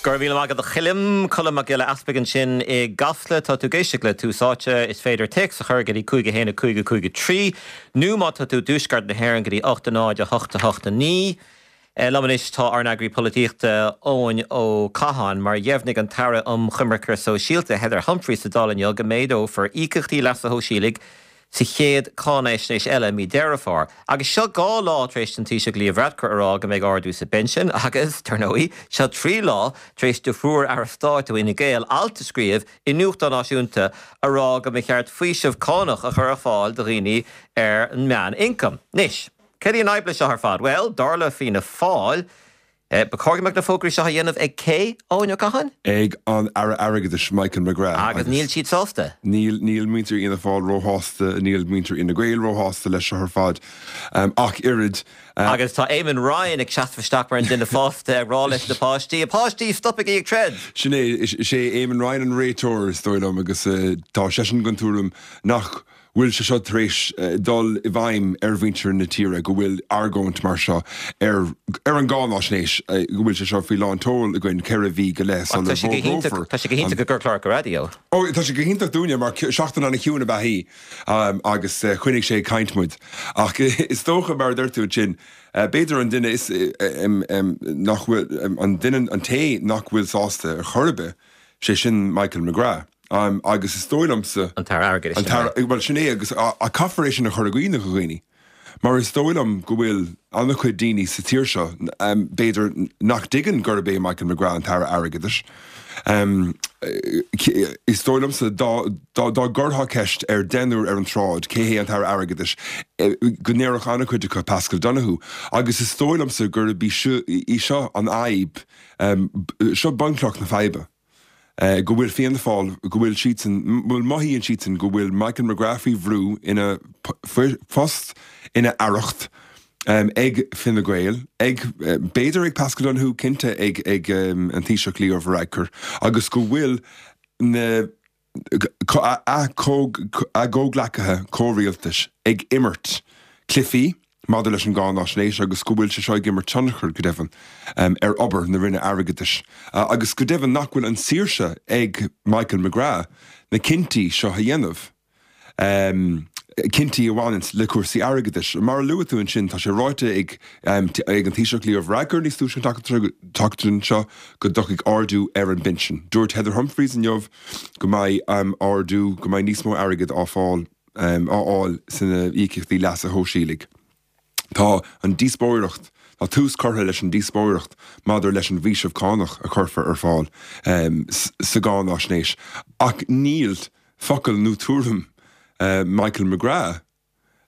Go raibh míle maith agat a Choilm. Colm Mac Giolla Easpaig ansin i gCasla. Tá tú ag éisteacht le Tús Áite. Is féidir téacs a chur go dtí 5 1 5 5 3 nó má tá tú i dtuaisceart na hÉireann go dtí 8 0 8 8 9. Liom anois tá ár n-eagraí polaitíochta Eoin Ó Catháin. Mar dheimhnigh an tAire um Choimirce Sóisialta Heather Humphreys sa Dáil inniu go méadófar íocaíochtaí leasa shóisialaigh sa chéad cáinaisnéis eile i mí Deireadh Fómhair. Agus seo 2 lá tar éis don Taoiseach Leo Varadkar a rá go mbeidh ardú sa bpensean agus, dar ndóigh, seo 3 lá tar éis do thriúr Aire Stáit ó Fhine Gael alt a scríobh i nuachtán náisiúnta a rá go mba cheart faoiseamh cánach a chur ar fáil do dhaoine ar an meán-ioncam. Anois, céard í an fhadhb leis seo ar fad? Bhuel, dar le Fianna Fáil, Ba chóir go mbeadh na fógraí seo á dhéanamh ag cé, Eoin Ó Catháin? Ag an Aire Airgeadais, Michael McGrath. Agus níl siad sásta. Níl, níl muintir Fhianna Fáil róshásta, níl muintir Fhine Gael róshásta leis seo ar fad ach oiread. Agus tá Eamon Ryan ag seasamh isteach mar an duine fásta ag rá leis na páistí, A pháistí, stopaigí ag troid! Sin é, is é Eamon Ryan an réiteoir, is dóigh liom, agus tá seisean den tuairim nach bhfuil sé seo tar éis dul i bhfeidhm ar mhuintir na tíre, go bhfuil argóint mar seo ar ar an gcáináisnéis, go bhfuil sé seo faoi lán tseoil againn 4 mhí go leith sula bhfógrófar Tá sé go hiontach i gcur cláracha raidió. Ó, tá sé go hiontach dúinne mar seachtain an-chiúin ab ea í agus choinnigh sé ag caint muid. Ach is dócha, mar a dúirt tú ansin, b'fhéidir an duine is nach bhfuil, an duine, an té nach bhfuil sásta ar chor ar bith, sé sin Michael McGrath. Agus is dóigh liomsa. An tAire Airgeadais, sin é. Bhuel, sin é, agus caithfear é sin a chur i gcuimhne do dhaoine, mar is dóigh liom go bhfuil an-chuid daoine sa tír seo, b'fhéidir, nach dtuigeann gurb é Michael McGrath an tAire Airgeadais. Is dóigh liomsa dá gcuirfeá ceist ar deichniúr ar an tsráid cé hé an tAire Airgeadais, go ndéarfadh an-chuid acu Paschal Donohoe. Agus is dóigh liomsa gurb í seo an fhadhb, seo bunchloch na faidhbe. go bhfuil Fianna Fáil, go bhfuil siadsan, bhuel mothaíonn siadsan go bhfuil Michael McGrath faoi bhrú ina phost, ina aireacht ag Fine Gael, ag, b'fhéidir ag Paschal Donohoe, cinnte ag ag an Taoiseach Leo Varadkar agus go bhfuil na a chomhghleacaithe comhrialtais ag imirt cluichí maidir leis an gcáináisnéis agus go bhfuil sé seo ag imirt tionchar, go deimhin, ar obair na Roinne Airgeadais agus go deimhin nach bhfuil an saoirse ag Michael McGrath na cinntí seo a dhéanamh. cinntí a bhaineanns le cúrsaí airgeadais. Mar a luaigh tú ansin, tá sé ráite ag ag an Taoiseach Leo Varadkar níos túisce an tseachtain seo go dtiocfaidh ardú ar an bpinsean. Dúirt Heather Humphreys inniu go mbeidh ardú, go mbeidh níos mó airgid á fáil á fháil sna íocaíochtaí leasa shóisialaigh. Tá an díospóireacht, tá tús curtha leis an díospóireacht maidir leis an bhfaoiseamh cánach a chuirfear ar fáil sa gcáináisnéis ach níl focal nó tuairim Michael McGrath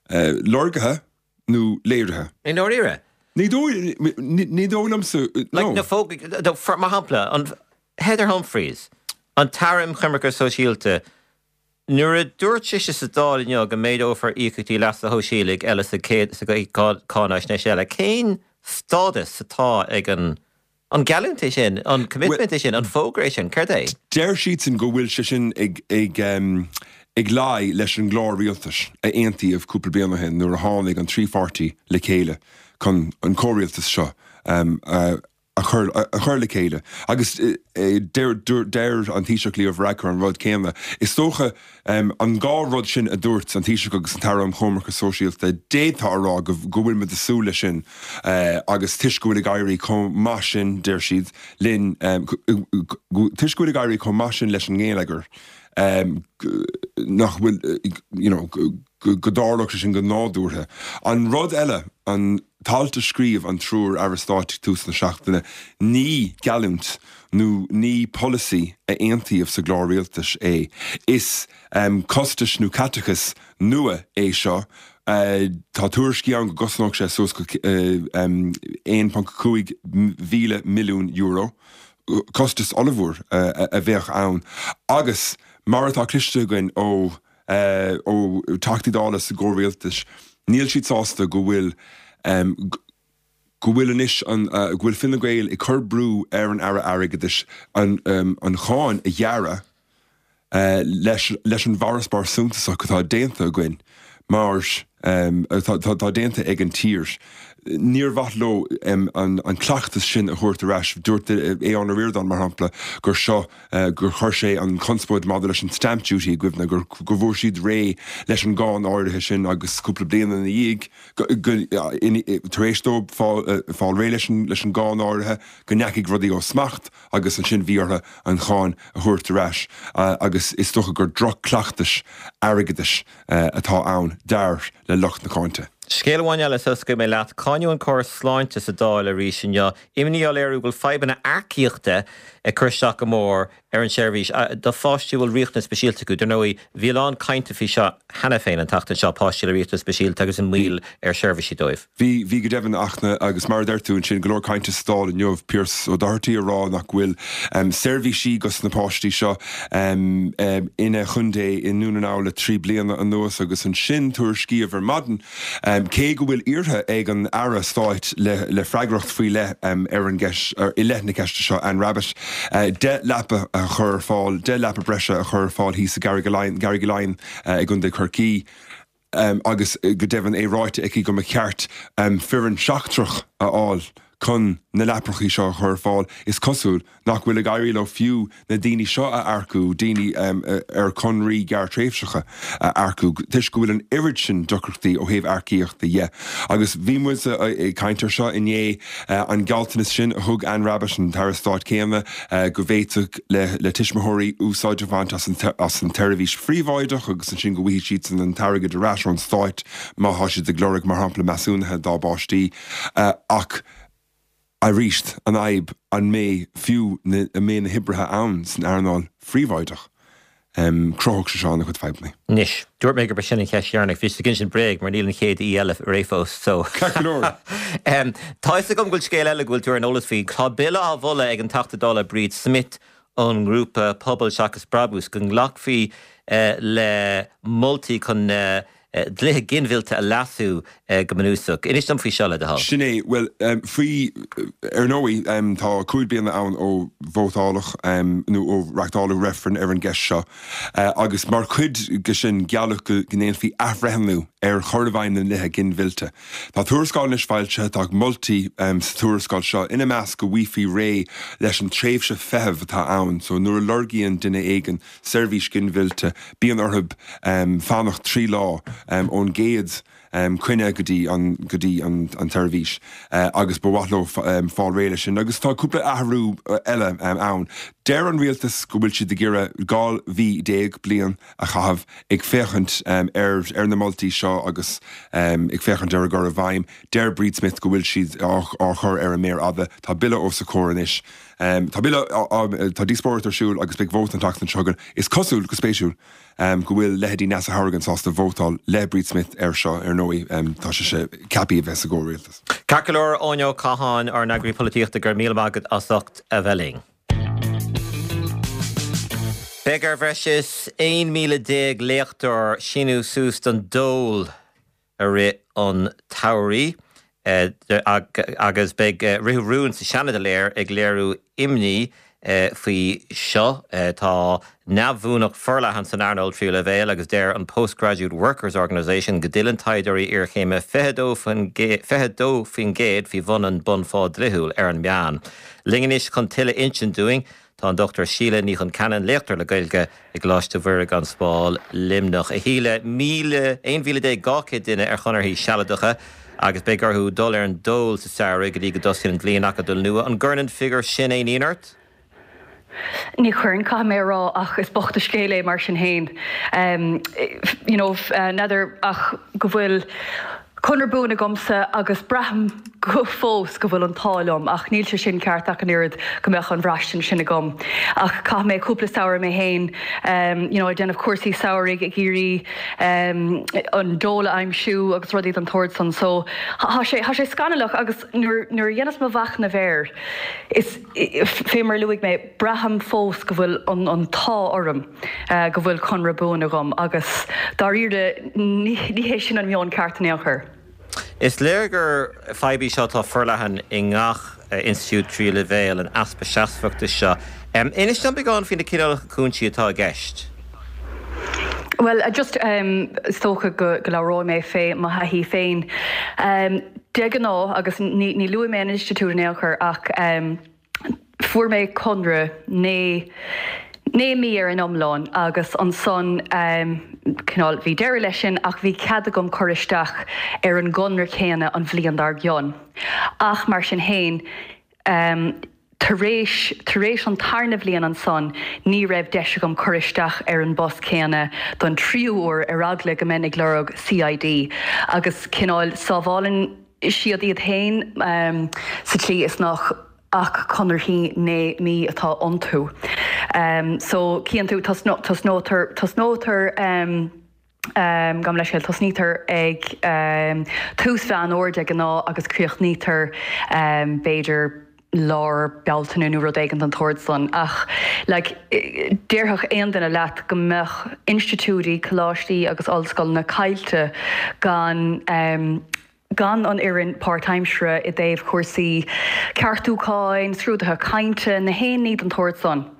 lorgaithe nó léirithe. I ndáiríre? Ní dóigh, ní dóigh liomsa, no. Like na fógraí, mar shampla, an Heather Humphreys, an tAire um Choimirce Sóisialta, Nuair a dúirt sise sa Dáil inniu go méadófar íocaíochtaí leasa shóisialaigh eile sa chéad cáinaisnéis eile, cén stádas atá ag an an geallúint é sin, an commitment é sin, an fógra é sin, céard é? Deir siadsan go bhfuil sé sin ag ag luí leis an gclár rialtais a aontaíodh cúpla bliain ó shin nuair a tháinig an trí pháirtí le chéile chun an comhrialtas seo a a chur a chur le chéile. Agus deir deir an Taoiseach Leo Varadkar an rud céanna. Is dócha an dhá rud sin a dúirt an Taoiseach agus an tAire um Choimirce Sóisialta, d'fhéadfá a rá go go bhfuil muid ag súil leis sin agus toisc go bhfuil ag éirí chomh maith sin, deir siad, linn, toisc go bhfuil ag éirí chomh maith sin leis an ngeilleagar, nach bhfuil, you know, go dtarlódh sé sin go nádúrtha. An rud eile, an t-alt a scríobh an triúr Aire Stáit ag tús na seachtaine, ní geallúint nó ní polasaí a aontaíodh sa gclár rialtais é. Is costais nó caiteachas nua é seo. Tá tuairiscí ann go gcosnódh sé suas go €1.5 mhíle milliún. Costas ollmhór a bheadh ann agus mar atá cloiste againn ó ó Teachtaí Dála sa gcomhrialtas, níl siad sásta go bhfuil go bhfuil anois an go bhfuil Fine Gael ag cur brú ar an Aire Airgeadais an an cháin a ghearradh leis leis an bhfarasbarr suntasach atá déanta againn mar atá déanta ag an tír. Níor mhaith leo an cleachtas sin a thabhairt ar ais. Dúirt Aodhán Ó Ríordáin, mar shampla, gur seo, gur chuir sé an chonspóid maidir leis an stamp duty i gcuimhne, gur go bhfuair siad réidh leis an gcáin áirithe sin agus cúpla bliain ina dhiaidh, tar éis dóibh fáil réidh leis an gcáin áirithe, go ndeachaigh rudaí ó smacht agus ansin bhí orthu an cháin a thabhairt ar ais agus is dócha gur droch-chleachtas airgeadais atá ann, dar le lucht na cáinte. Scéal amháin eile sula scaoilfidh mé leat. Cáineadh an córas sláinte sa Dáil arís inniu. Imní á léiriú go bhfuil fadhbanna earcaíochta ag cur isteach go mór ar an tseirbhís do pháistí a bhfuil riachtanais speisialta acu. Dar ndóigh, bhí a lán cainte faoi seo cheana féin an tseachtain seo, páistí le riachtanais speisialta agus an moill ar sheirbhísí dóibh. Bhí, bhí go deimhin ach na, agus mar a deir tú ansin, go leor cainte sa Dáil inniu, Pearse Doherty ag rá nach bhfuil seirbhísí dos na páistí seo ina chontae i nDún na nGall le 3 bliana anuas agus ansin tuairiscíodh ar maidin Cé go bhfuil iarrtha ag an Aire Stáit le freagracht faoi leith ar an gceist, i leith na ceiste seo, Anne Rabbitte, 10 leapa a chur ar fáil, 10 leapa breise a chur ar fáil thíos i gCarraig Laighean i gContae Chorcaí, agus go deimhin é ráite aici go mba cheart foireann seachtrach a fháil chun na leapacha seo a chur ar fáil, is cosúil nach bhfuil ag éirí leo fiú na daoine seo a earcú, daoine ar chonraí gearrthréimhseacha a earcú, toisc go bhfuil an oiread sin deacrachtaí ó thaobh earcaíochta dhe. Agus bhí muid ag caint ar seo inné, an gealltanas sin a thug Anne Rabbitte, an tAire Stáit céanna, go bhféadfadh le tuismitheoirí úsáid a bhaint as an tseirbhís phríobháideach agus ansin go bhfaighidh siadsan an t-airgead ar ais ón Stát má tá siad ag lorg, mar shampla, measúnuithe dá bpáistí. Ach arís, an fhadhb, an mbeidh fiú na, an mbeidh na hoibrithe ann san earnáil phríobháideach? Chruthódh sé seo an-chuid fadhbanna. Anois, dúirt mé gurb é sin an cheist dheireanach. Bhí ag insint bréag mar níl an chéad aoi eile réidh fós, so. Ceart go leor. Tá fhios agam go bhfuil scéal eile go bhfuil tú ar an eolas faoi. Tá bille á mholadh ag an Teachta Dála Bríd Smith ón ngrúpa Pobal Seachas Brabús go nglacfaí le moltaí chun na dlíthe ginmhillte a leasú go bunúsach. Inis dom faoi seo, le do thoil. Sin é. Bhuel, faoi, ar ndóigh, tá 5 bliana ann ó vótáladh nó ó reachtáladh reifreann ar an gceist seo agus mar chuid de sin gealladh go ndéanfaí athbhreithniú ar chur i bhfeidhm na ndlíthe ginmhillte. Tá tuarascáil anois foilsithe, tá moltaí sa tuarascáil seo, ina measc go bhfaighfí réidh leis an tréimhse feithimh atá ann, so nuair a lorgaíonn duine éigin seirbhís ghinmhillte, bíonn orthu fanacht 3 lá ón gcéad coinne go dtí an go dtí an tseirbhís agus ba mhaith leo fáil réidh leis sin. Agus tá cúpla athrú eile ann. Deir an rialtas go bhfuil siad ag iarraidh 12 mhí, bliain, a chaitheamh ag féachaint ar ar na moltaí seo agus ag féachaint ar a gcur i bhfeidhm. Deir Bríd Smith go bhfuil siad á chur ar an méar fhada. Tá bille os a comhair anois. Tá bille, tá díospóireacht ar siúl agus beidh vóta an tseachtain seo chugainn. Is cosúil, go spéisiúil, go bhfuil leithéidí Neasa Hourigan sásta vótáil le Bríd Smith air seo, ar ndóigh tá sise ceaptha a bheith sa gcomhrialtas. Ceart go leor, Eoin Ó Catháin, ár n-eagraí polaitíochta, go raibh míle maith agat as ucht a bheith linn. Beidh ar bhreis is 11,000 léachtóir síniú suas don dól i rith an tsamhraidh agus beidh ritheadh rún sa Seanad aréir ag léiriú imní faoi seo. Tá neamhbhuanacht forleathan san earnáil tríú leibhéal agus deir an Postgraduate Workers Organisation go dtuilleann taighdeoirí iarchéime 22% faoi bhun an bunphá dlíthiúil ar an meán. Linn anois chun tuilleadh a insint dúinn Tá an Dr Síle Ní Chonceanainn, léachtóir le Gaeilge i gColáiste Mhuire gan Smál, Luimneach. A Shíle, 11,200 duine ar chonarthaí sealadacha agus beidh orthu dul ar an dól sa samhradh go dtí go dtosaíonn an bhliain acadúil nua. An gcuireann an figiúr sin aon ionadh ort? Ní chuireann, caithfidh mé a rá, ach is bocht an scéal é mar sin féin. You know, n'fheadar ach go bhfuil conradh buan agamsa agus braithim go fós go bhfuil an t-ádh liom, ach níl sé sin ceart ach an oiread go mbeadh an bhraistint sin agam. Ach chaith mé cúpla samhradh mé féin you know ag déanamh cúrsaí samhraidh ag iarraidh an dól a aimsiú agus rudaí den tsórt san. So tá sé, tá sé scannalach agus nuair, nuair a dhéanas mo mhachnamh air is fé mar a luaigh mé, braithim fós go bhfuil an, an t-ádh orm. go bhfuil conradh buan agam agus dáiríre ní hé sin an meon ceart in aon chor. Is léir gur fadhb í seo atá forleathan i ngach institiúid tríú leibhéal, an easpa seasmhachta seo. Inis dom beagán faoi na cineálacha cúinsí atá i gceist. Bhuel, just is dócha go labhróidh mé fé mo thaithí féin. De ghnáth, agus ní luafaidh mé an institiúid in aon chor, ach fuair mé conradh naoi, naoi mí ar an iomlán agus ansan cineál bhí deireadh leis sin ach bhí cead agam cur isteach ar an gconradh céanna an bhliain dár gcionn. Ach mar sin féin, Tar éis, tar éis an tarna bhliain ansan ní raibh deis agam cur isteach ar an bpost céanna don tríú huair ar eagla go mbeinn ag lorg CID agus cineál sábhálann siad iad féin sa tslí is nach ach conarthaí 9 mí atá iontu. So cíonn tú, tosnótar, tosnótar. Gabh mo leithscéal, tosnaítear ag tús Mheán Fhómhair de ghnáth agus críochnaítear b'fhéidir lár Bealtaine nó rud éigin den tsórt san. Ach like déarfadh aon duine leat go mbeadh institiúidí, coláistí agus ollscoileanna caillte gan gan an fhoireann páirtaimseartha i dtaobh chúrsaí ceartúcháin, scrúduithe cainte, na haon ní den tsórt san.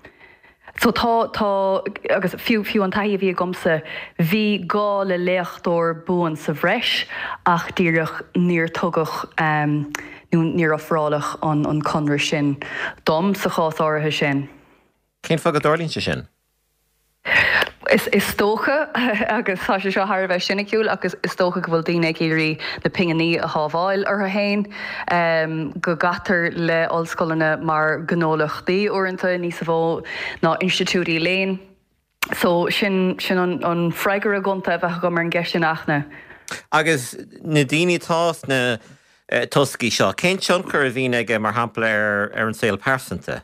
So tá, tá, agus fiú, fiú an taithí a bhí agamsa, bhí gá le léachtóir buan sa bhreis ach díreach níor tugadh nó níor ofráladh an, an conradh sin dom sa chás áirithe sin. Cén fáth go dtarlaíonn sé sin? Is dócha, agus tá sé seo thar a bheith siniciúil, ach is dócha go bhfuil daoine ag iarraidh na pinginí a shábháil orthu féin, go gcaitear le ollscoileanna mar ghnólachtaí uaireanta níos mó ná institiúidí léinn. So sin sin an freagra gonta a bheadh agam ar an gceist sin, a Fhachtna. Agus na daoine atá sna toscaí seo, cén tionchar a bhíonn aige, mar shampla, ar an saol pearsanta?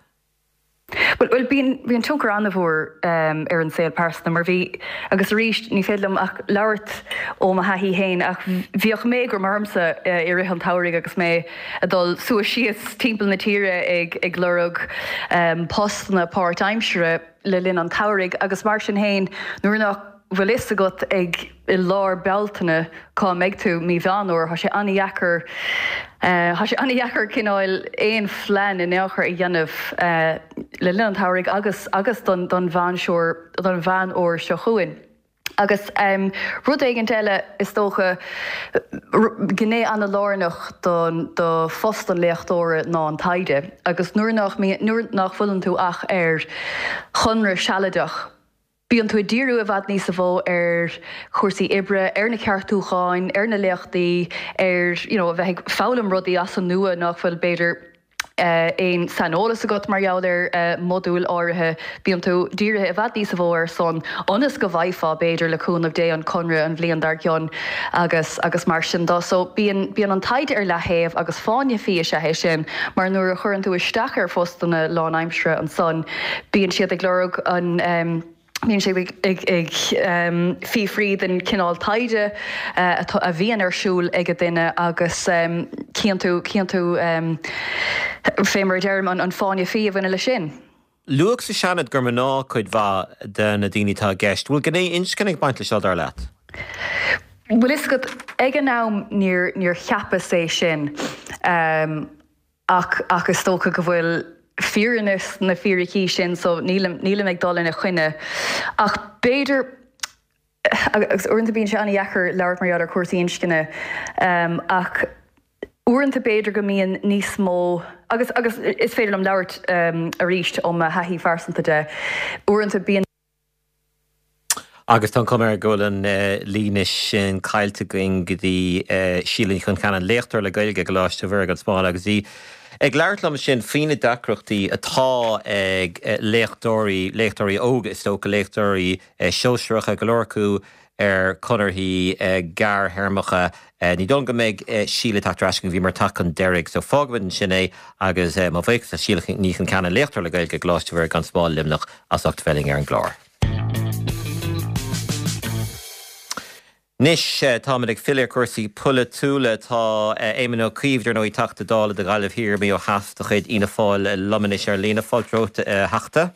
Bhuel, bíonn, bíonn tionchar an-mhór ar an saol pearsanta mar bhí, agus arís, ní féidir liom ach labhairt ó mo thaithí féin, ach bhíodh méagram ormsa i rith an tsamhraidh agus mé ag dul suas síos timpeall na tíre ag, ag lorg postanna páirtaimseartha le linn an tsamhraidh agus mar sin féin, nuair nach bhfuil fhios agat ag i lár Bealtaine cá mbeidh tú mí Mheán Fhómhair, tá sé an-dheacair, tá sé an-dheacair cineál aon phlean in aon chor a dhéanamh le linn an tsamhraidh agus agus don don Mheán don Mheán Fhómhair seo chugainn. Agus rud éigint eile is dócha, gné an-lárnach don do phost an léachtóra ná an taighde agus nuair nach nuair nach bhfuileann tú ach ar chonradh sealadach, Bíonn tú ag díriú i bhfad níosa mhó ar chúrsaí oibre, ar na ceartúcháin, ar na léachtaí, ar you know a bheith ag foghlaim rudaí as an nua nach bhfuil b'fhéidir aon saineolas agat mar gheall ar modúil áirithe. Bíonn tú dírithe i bhfad níosa mhó air san ionas go bhfaighfeá b'fhéidir le cúnamh Dé an conradh an bhliain dár gcionn agus agus mar sin de. So bíonn bíonn an taighde ar leaththaobh agus fáinne fí is ea é sin mar nuair a chuireann tú isteach ar phostanna lánaimseartha ansan Bíonn siad ag lorg an, bíonn siad ag ag fiafraí den chineál taighde atá, a bhíonn ar siúl ag an duine agus cíonn tú, cíonn tú fé mar a deirim, an fáinne fí a bhaineann leis sin. Luadh sa Seanad gur mná cuid mhaith de na daoine atá i gceist. Bhfuil gné inscne ag baint leis seo, dar leat? Bhfuil fhios agat, ag an am níor, níor cheapas é sin. Ach, ach is dócha go bhfuil fírinne sna fíricí sin so nílim, nílim ag dul ina choinne. Ach b'fhéidir, agus uaireanta bíonn sé an-dheacair labhairt mar gheall ar chúrsaí inscne, ach uaireanta b'fhéidir go mbíonn níos mó, agus, agus is féidir liom labhairt arís ó mo thaithí phearsanta de, uaireanta bíonn. Agus tá an chuma air go bhfuil an líne sin caillte againn go dtí Síle Ní Choncheanainn, léachtóir le Gaeilge i gColáiste Mhuire gan Smál agus í ag labhairt liom ansin faoi na deacrachtaí atá ag léachtóirí, léachtóirí óga is dócha, léachtóirí sóisearacha, go leor acu ar chonarthaí gearrthéarmacha. Ní dóigh liom go mbeidh Síle ag teacht ar ais chugainn, bhíomar ag teacht chun deiridh, so fágfaimid ansin é agus mo bhuíochas le Síle Ní Choncheanainn, léachtóir le Gaeilge i gColáiste Mhuire gan Smál, Luimneach, as ucht bheith linn ar an gclár. Anois, táimid ag filleadh ar chúrsaí polaitiúla. Tá Éamon Ó Cuív, dar ndóigh, Teachta Dála do Ghaillimh Thiar, Maigh Eo Theas de chuid Fhianna Fáil liom anois ar líne. Fáilte romhat, a Theachta.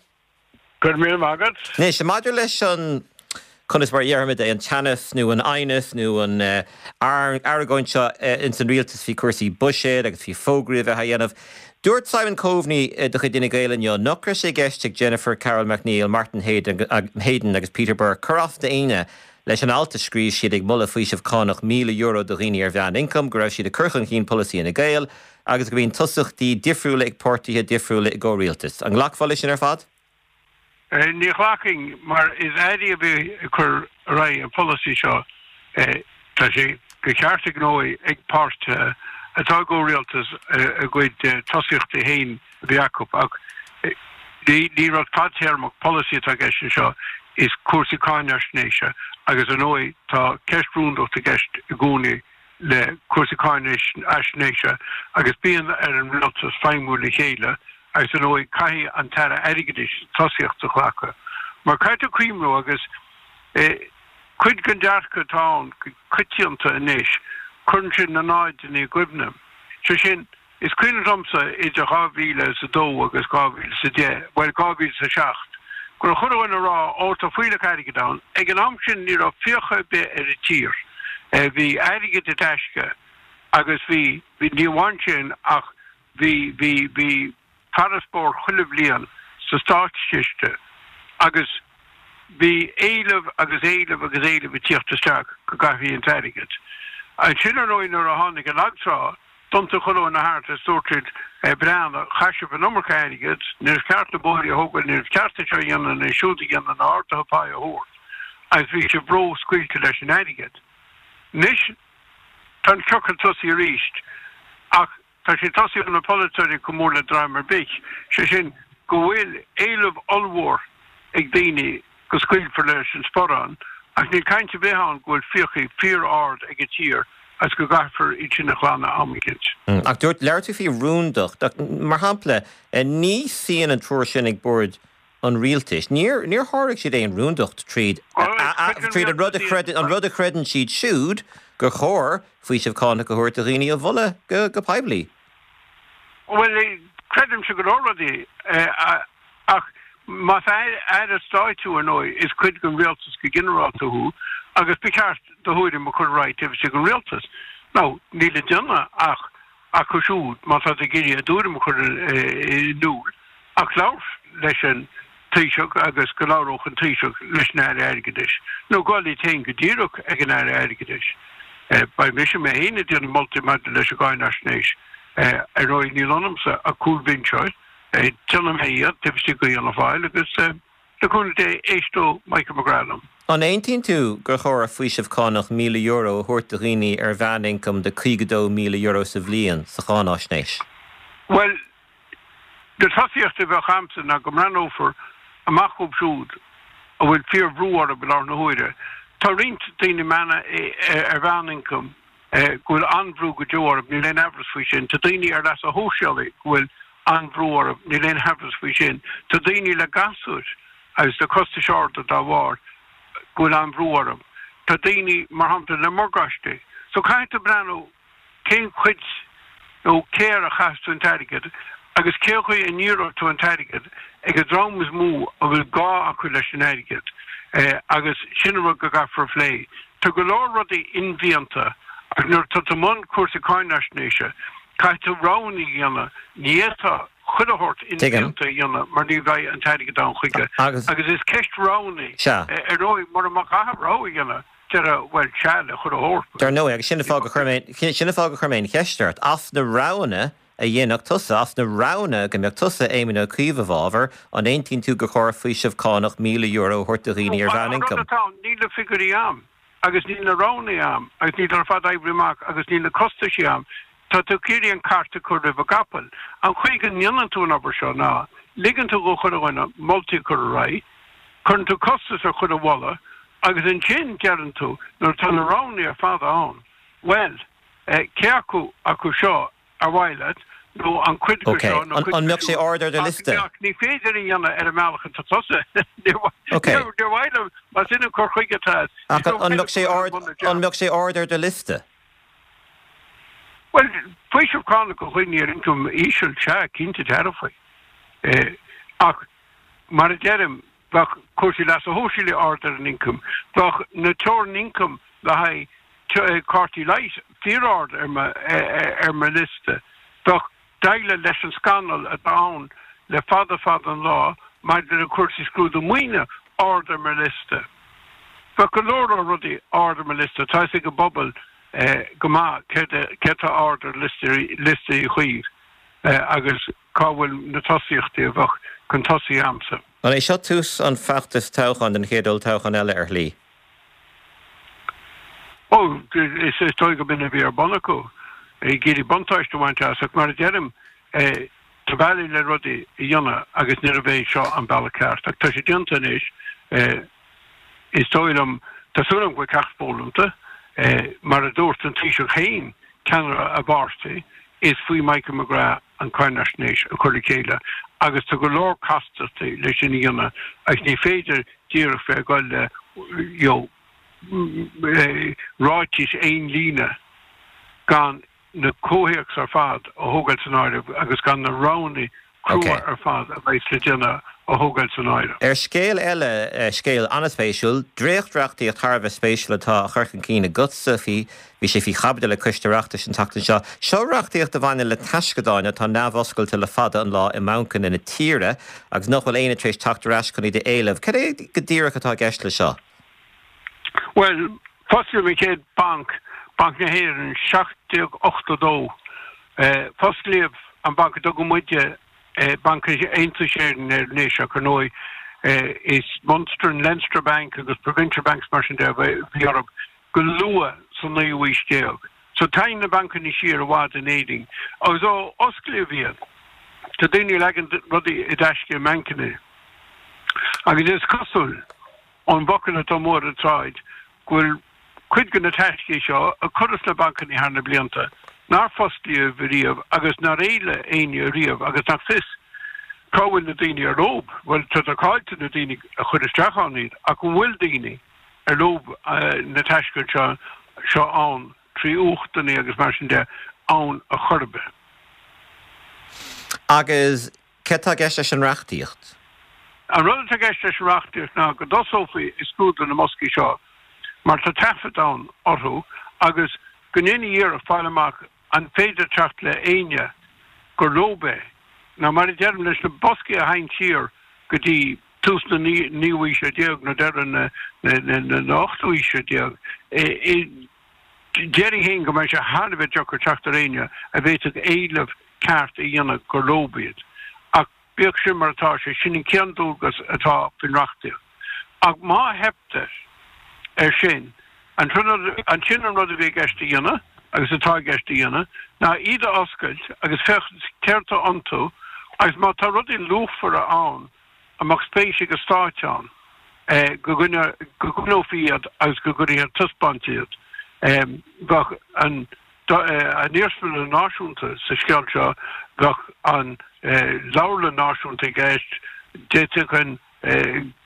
Go raibh míle maith agat. Anois, maidir leis an, conas mar a dhéarfaimid é, an teannas nó an aighneas nó an argóint seo ins an rialtas faoi chúrsaí buiséid agus faoi fógraí a bheith á dhéanamh. Dúirt Simon Coveney de chuid Fhine Gael inniu nach raibh sé i gceist ag Jennifer Carroll MacNeill, Martin Heydon agus Peter Burke cur as d'éinne leis an alt a scríobh siad ag moladh faoiseamh cánach €1,000 do dhaoine ar mheánioncam, go raibh siad ag cur chun cinn polasaí Fhine Gael agus go mbíonn tosachtaí difriúla ag páirtithe difriúla i gcomhrialtas. An nglacfá leis sin ar fad? Ní ghlacfainn, mar is airí a bhí ag cur ar aghaidh an pholasaí seo. Tá sé de cheart ar ndóigh ag páirtithe atá i gcomhrialtas a gcuid tosaíochtaí féin a bheith acu, ach ní rud fadtéarmach polasaí atá i gceist anseo, is cúrsaí cáinaisnéise agus ar ndóigh tá ceist rúndachta i gceist i gcónaí le cúrsaí cáinaisnéise agus bíonn ar an rialtas feidhmiú le chéile agus ar ndóigh caithfidh an tAire Airgeadais tosaíocht a ghlacadh. Mar caithfidh tú cuimhniú agus cuid den dearcadh atá ann go coitianta anois, cuireann sé na náideanna i gcuimhne. Sé sin, is cuimhin liomsa idir 2002 agus 2010, bhuel 2007, go raibh chuile dhuine ag rá ó tá fuílleach airgid ann. Ag an am sin ní raibh fiacha ar bith ar an tír. Bhí airgead i dtaisce agus bhí, ní amháin sin ach Bhí, bhí, bhí farasbarr chuile bhliain sa státchiste agus bhí éileamh agus éileamh agus éileamh ag tíocht isteach go gcaithfí an t-airgead. Ansin ar ndóigh nuair a tháinig an lagtrá, d'iontaigh chuile dhuine thart is dúirt siad, breathnaigh, chaith sibh an iomarca airgid, níorbh cheart na bóithre a thógáil, níorbh cheart é seo a dhéanamh nó siúd a dhéanamh ná arduithe páí a thabhairt agus bhí sibh ró-scaoilte leis an airgead. Anois tá an ciorcal tosaithe arís ach Tá sé tosaithe ó na polaiteoirí chomh mór le dream ar bith, sé sin go bhfuil éileamh ollmhór ag daoine go scaoilfear leis an sparán ach níl caint ar bith ann go bhfuil fiacha fíor-ard ag an tír agus go gcaithfear iad sin a ghlanadh am eicínt. Ach dúirt, labhair tú faoi rúndacht, ach mar shampla, ní suíonn an triúr sin ag bord an rialtais. Níor, níor sháraigh siad aon rúndacht tríd, tríd an rud a chreideann, an rud a chreideann siad siúd gur chóir faoiseamh cánach a thabhairt do dhaoine a mholadh go, go poiblí. Bhuel, creidimse go leor rudaí, ach más aire stáit thú, ar ndóigh, is cuid den rialtas go ginearálta thú agus ba cheart do thuairim a chur ar aghaidh taobh istigh den rialtas. Now, níl le déanamh ach acu siúd, má tá tú ag iarraidh a dtuairim a chur in iúl, ach labhairt leis an Taoiseach agus go labhródh an Taoiseach leis an Aire Airgeadais, nó gabháil iad féin go díreach ag an Aire Airgeadais. Beidh mise mé féin ag déanamh moltaí maidir leis an gcáinaisnéis. Ar ndóigh, níl ionamsa ach cúlbhinseoir. Déanfaidh mé iad taobh istigh de Fhianna Fáil agus. Le cúnamh Dé, éisteoidh Michael McGrath liom. An aontaíonn tú gur chóir faoiseamh cánach €1,000 a thabhairt do dhaoine ar mheánioncam de €52,000 sa bhliain sa cháináisnéis? Bhuel, na tosaíochtaí a bheadh a'msa ná go mbreathnófar amach dhóibh siúd a bhfuil fíor-bhrú orthu i láthair na huaire. Tá roinnt daoine ar mheánioncam go bhfuil an-bhrú go deo orthu, níl aon aimhreas faoi sin. Tá daoine ar leasa shóisialaigh go bhfuil an-bhrú orthu, níl aon aimhreas faoi sin. Tá daoine le gasúir agus le costais arda dá bharr go bhfuil an-bhrú orthu. Tá daoine, mar shampla, le morgáistí. So caithfidh tú breathnú cén chuid nó cé air a chaithfeas tú an t-airgead agus cén chaoi a ndíreoidh tú an t-airgead ag an dream is mó a bhfuil gá acu leis an airgead agus sin an rud go gcaithfear a phlé. Tá go leor rudaí inmhianta ach nuair atá tú i mbun cúrsaí cáinaisnéise caithfidh tú roghanna a dhéanamh. Ní fhéadfá chuile shórt inmhianta a dhéanamh mar ní bheidh an t-airgead ann chuige agus is ceist roghanna í. Ar ndóigh mura mbeadh gá rogha a dhéanamh déarfá bhuel sea le chuile shórt. Dar ndóigh, agus sin an fáth gur chuir mé, sin an fáth gur chuir mé an cheist ort, as na roghanna a dhéanfadh tusa, as na roghanna go mbeadh tusa, Éamon Ó Cuív, i bhfabhar, an aontaíonn tú gur chóir faoiseamh cánach €1,000 a thabhairt do dhaoine ar mheánioncam? An rud atá ann, níl na figiúirí a'm agus níl na roghanna a'm agus níl ar fad oibrithe amach agus níl na costaisí a'm. Tá tú ag iarraidh an cairt a chur roimh an gcapall. An chaoi go ndéanann tú an obair seo ná, ligeann tú do chuile dhuine moltaí a chur ar aghaidh, cuireann tú costas ar chuile mholadh agus ansin deireann tú, nuair atá na roghanna ar fad ann, bhuel, cé acu acu seo ar mhaith leat nó an cuid de Ok. seo nó An cuid de mbeadh sé siúd ard ar do ach liosta? ach ní féidir a dhéanamh ar an mbealach atá tusa. Níor Ok. níor mhaith liom más in an cur chuige atá agat. Ach Is an mbeadh sé ar ard bun na an dteach. mbeadh sé ard ar do liosta? Bhuel, faoiseamh cánach do dhaoine ar ioncam íseal, sea, cinnte dearfa. Ach mar a deirim, bheadh cúrsaí leasa shóisialaigh ard ar an ioncam, bheadh na teorainn ioncaim le haghaidh cártaí leighis fíor-ard ar mo liosta, bheadh. Déileáil leis an scannal atá ann le fada fada an lá maidir le cúrsaí scrúdú maoine ard ar mo liosta. Bheadh go leor leor rudaí ard ar mo liosta, tá fhios ag an bpobal go maith céard atá ard ar liosta Uí Chuív agus cá bhfuil na tosaíochtaí a bheadh chun tosaigh a'msa. An é seo tús an feachtais toghcháin don chéad olltoghchán eile ar shlí? Ó, is dóigh go b'in a bhí ar bun acu, ag iarraidh buntáiste a bhaint as, ach mar a deirim, tá bealaí le rudaí a dhéanamh agus níorbh é seo an bealach ceart. Ach tá sé déanta anois, is dóigh liom, tá súil agam go bhfuil ceacht foghlamta, mar a dúirt an Taoiseach féin, ceannaire a pháirtí, is faoi Michael McGrath an cáinaisnéis a chur le chéile agus tá go leor castachtaí leis sin a dhéanamh agus ní féidir díreach bheith ag dul le you know ráitis aon líne gan na comhthéacs ar fad a thógáil san áireamh agus gan na roghanna crua ar fad a bheas le déanamh a thógáil san áireamh. Ar scéal eile, scéal an-spéisiúil, dréacht-reachtaíocht thar a bheith spéisiúil atá á chur chun cinn agatsa faoi, bhí sé faoi chaibidil ag Coiste Oireachtais an tseachtain seo. Seo reachtaíocht a bhaineann le taisceadáin atá neamhoscailte le fada an lá i mbancanna na tíre agus nach bhfuil éinne tar éis teacht ar ais chun iad a éileamh. Cad é go díreach atá i gceist le seo? Bhuel, fosclaíodh an chéad banc, Banc na hÉireann, 1782. Fosclaíodh an banc a dtugann muide Banc Aontais Éireann air anois ach ar ndóigh is Munster and Leinster Bank agus Provincial Banks mar sin de a bhí orthu go luath sa naoú haois déag. So téann na bancanna siar i bhfad in Éirinn agus ó osclaíodh iad tá daoine ag leagan rudaí i dtaisce i mbancanna agus is cosúil ón bhfocal atá amuigh ar an tsráid go bhfuil cuid de na taiscí seo a cuireadh sna bancanna thar na blianta nár fosclaíodh riamh agus nár éiligh éinne riamh agus nach fios cá bhfuil na daoine ar leob, bhuel tá caillte na daoine a chuir isteach ann iad ach an bhfuil daoine ar leob na taiscí seo seo ann trí uchtanna agus mar sin de ann a chor ar bith. Agus Céard atá i gceist leis an reachtaíocht? An rud atá i gceist leis an reachtaíocht ná go dtosófaí ag scrúdú na mboscaí seo mar tá taifead ann orthu agus go ndéanfaí iarracht fáil amach an féidir teacht le éinne gur leob é. Nó mar a deirim, leis na boscaí a théann siar go dtí tús na naoú haoise déag nó deireadh na hochtú haoise déag, déarfainn féin go mbeidh sé thar a bheith deacair teacht ar éinne a bhféadfadh éileamh ceart a dhéanamh gur leob iad. Ach bíodh sin mar atá sé, sin an chéad dualgas atá faoin reachtaíocht. Ach má theiptear air sin, ansin an rud a bhí i gceist a dhéanamh, agus atá i gceist a dhéanamh, ná iad a oscailt agus féachaint céard atá iontu agus má tá rudaí luachmhara ann, a mbeadh spéis ag an Stát ann, go gcoinneofaí iad agus go gcuirfí ar taispeáint iad. Bheadh an Iarsmalann Náisiúnta sa scéal seo, bheadh an Leabharlann Náisiúnta i gceist, d'fhéadfadh an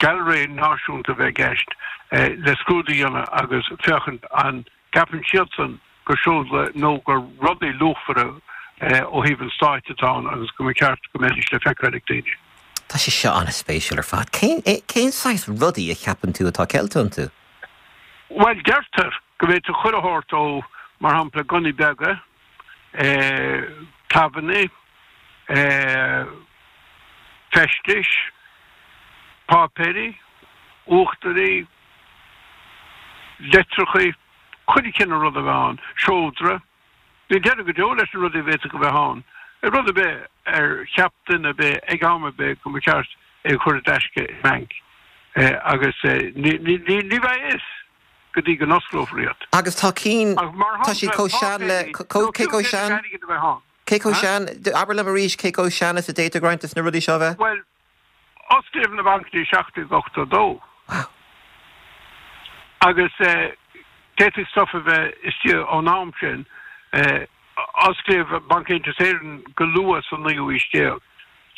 Gailearaí Náisiúnta a bheith i gceist le scrúdú a dhéanamh agus féachaint an gceapann siadsan gur seoda nó gur rudaí luachmhara ó thaobh an stáit atá ann agus go mba cheart go mbeidís le feiceáil ag daoine. Tá sé seo an-spéisiúil ar fad. Cén, cén saghas rudaí a cheapann tú atá ceilte iontu? Bhuel, deirtear go bhféadfadh chuile shórt ó, mar shampla, gunnaí beaga, clabhannaí, feistis, páipéirí, uachtairí, litreachaí, chuile chineál rud a bheith ann, seodra. Níl deireadh go deo leis na rudaí a bhféadfadh a bheith ann. Rud ar bith ar cheap duine ar bith ag am ar bith go mba cheart é a chur i dtaisce i mbanc. Agus ní bheidh a fhios go dtí go n-osclófar iad. Agus tá cinn, tá siad chomh sean le, cé chomh sean, cé chomh sean, abair liom arís cé chomh sean is a d'fhéadfadh roinnt de na rudaí seo a bheith? Bhuel, Osclaíodh na bancanna i 1782 agus d'fhéadfadh stuif a bheith istigh ón am sin. Osclaíodh Banc Aontas Éireann go luath sa naoú haois déag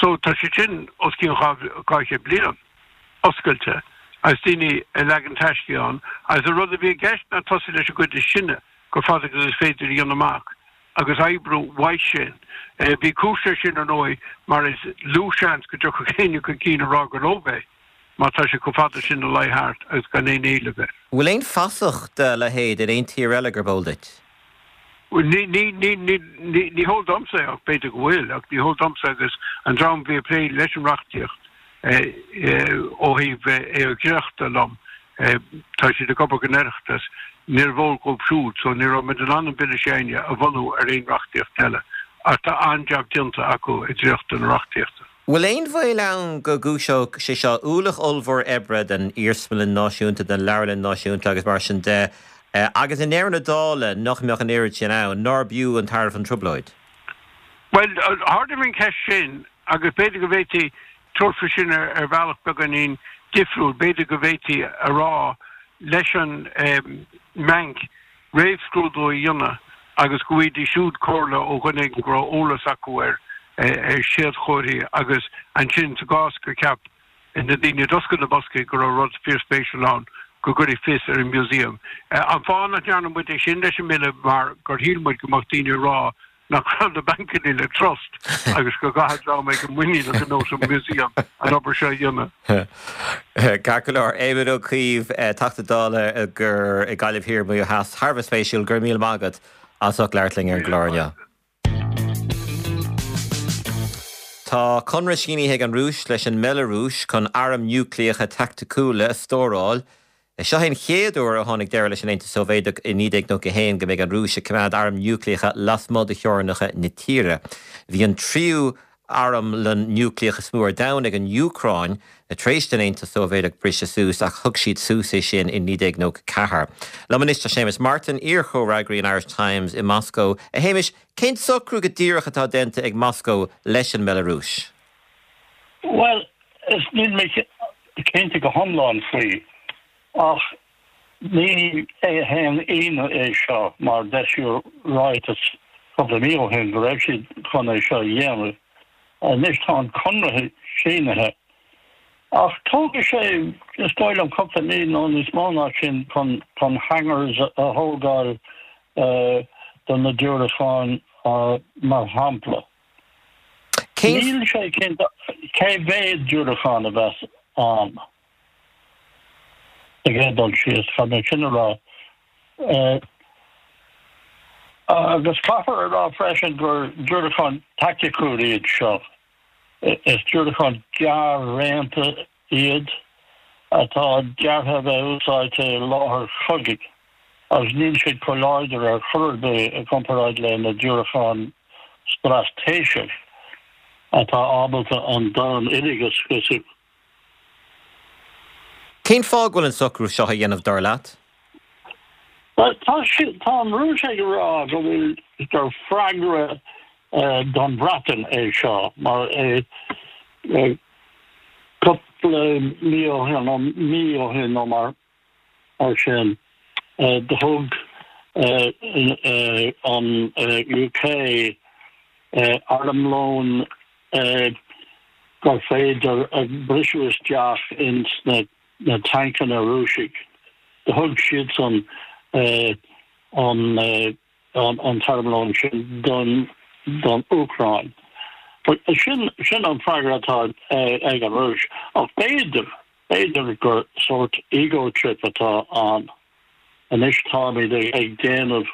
so tá sé sin os cionn 200 bliain oscailte agus daoine ag leagan taiscí ann agus an rud a bhí i gceist ná tosú leis an gcuid is sine chomh fada agus is féidir a dhéanamh amach. agus oibriú uaidh sin. Bhí cúis leis sin, ar ndóigh, mar is lú seans go dtiocfadh éinne chun cinn a rá gur leob é má tá sé chomh fada sin ina luí thart agus gan aon éileamh air. Bhfuil aon fasach dá leithéid in aon tír eile gurb eol duit? Bhuel, ní, ní, ní, ní, ní, ní heol domsa é, ach b'fhéidir go bhfuil, ach ní heol domsa agus an dream a bhí ag plé leis an reachtaíocht ó thaobh é a dhréachtadh liom, tá siad ag obair don Oireachtas, níorbh eol dhóibh siúd, so ní raibh muid in ann an Bille s'againne a bhunú ar aon reachtaíocht eile. Ach tá an-jab déanta acu ag dréachtadh na reachtaíochta. Bhfuil aon bhaol ann go gcúiseodh sé seo ualach ollmhór oibre don Iarsmalann Náisiúnta, don Leabharlann Náisiúnta agus mar sin de, agus i ndeireadh na dála nach mbeadh an oiread sin ann, nár b'fhiú an tairbhe an trioblóid? Bhuel, ardaigh mé an cheist sin agus b'fhéidir go bhféadfaí tabhairt faoi sin ar bhealach beagáinín difriúil. B'fhéidir go bhféadfaí a rá leis an mbanc réamhscrúdú a dhéanamh agus go bhfaighidís siúd comhairle ó dhuine éigin go raibh eolas acu ar séadchomharthaí agus ansin sa gcás gur cheap na daoine a d'oscail na boscaí go raibh rud fíorspéisiúil ann go gcuirfí fios ar an museum. An fáth nach ndearna muid é sin leis an mbille mar gur shíl muid go mbeadh daoine ag rá nach raibh na bancanna le trust agus go gcaithfeadh dream éigin muiníneach ar nós an museum an obair seo a dhéanamh. Ceart go leor. Éamon Ó Cuív, Teachta Dála i Gaillimh Thiar, Maigh Eo Theas. Thar a bheith spéisiúil. Go raibh míle maith agat as ucht labhairt linn ar an gclár inniu. Tá conradh sínithe ag an Rúis leis an mBeilearúis chun airm núicléacha taicticiúla a stóráil Seo é an chéad uair ó tháinig deireadh leis an Aontas Sóivéadach i 1991 go mbeidh an Rúis ag coimeád airm núicléacha lasmuigh de theorainneacha na tíre. Bhí an tríú armlann núicléach is mó ar domhan ag an Úcráin tar éis don Aontas Sóivéadach briseadh suas ach thug siad suas é sin i 1994. Liom anois tá Séamus Martin, iar-chomhfhreagraí an Irish Times i Moscó. A Shéamais, cén socrú go díreach atá déanta ag Moscó leis an mBeilearúis? Bhuel, is níl mé cinnte go hiomlán faoi, ach ní haon ionadh é seo mar d'eisíodh ráiteas cúpla mí ó shin go raibh siad chun é seo a dhéanamh. Anois tá an conradh sínithe, ach tógfaidh sé, is dóigh liom, cúpla mí nó níos mó ná sin chun chun hangars a thógáil do na diúracáin mar shampla. Níl sé cinnte cé mhéad diúracán a bheas ann. Sa gcéad dul síos, caithfidh mé sin a rá. Agus caithfear a rá freisin gur diúracáin taicticiúil iad seo. Is diúracáin gearr-raonta iad atá deartha a bheith úsáidte i láthair chogaidh agus níl siad chomh láidir ar chor ar bith i gcomparáid le na diúracáin straitéiseach atá ábalta an domhan uilig a scriosadh. Cén fáth go bhfuil an socrú seo á dhéanamh, dar leat? Bhuel, tá tá an Rúis ag rá go bhfuil gur freagra don Bhreatain é seo mar cúpla mí ó shin nó mí ó shin nó mar sin do thug an UK armlón gur féidir briseadh isteach ins na tancanna Rúisigh. Do thug siadsan an an t-armlón sin don don Úcráin. Sin sin an freagra atá ag an Rúis. Ach b'fhéidir, b'fhéidir gur sórt ego trip atá ann. Anois táimid ag déanamh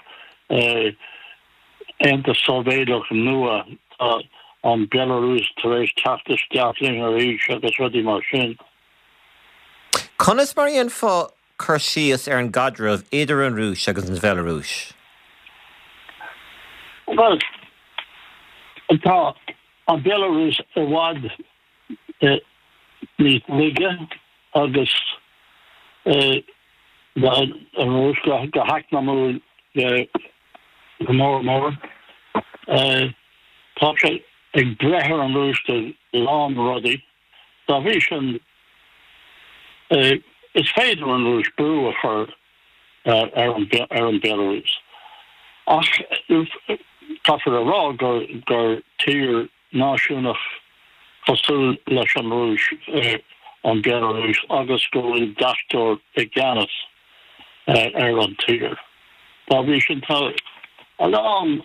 Aontas Sóivéadach nua, tá an Belarus tar éis teacht isteach linn arís agus rudaí mar sin. Conas mar a dhéanfá cur síos ar an gcaidreamh idir an Rúis agus an Bheilearúis? Bhuel, tá an Bhealarúis i bhfad níos laige agus ná an Rúis go heacnamúil go mór mór. Tá sé ag breith ar an Rúis do a lán rudaí. Dá bhrí sin, is féidir an Rúis brú a chur ar an Bhealarúis. Ach caithfear a rá gur tír náisiúnach cosúil leis an Rúis an Bhealarúis agus go bhfuil deachtóir i gceannas ar an tír. Dá bhrí sin, tá a lán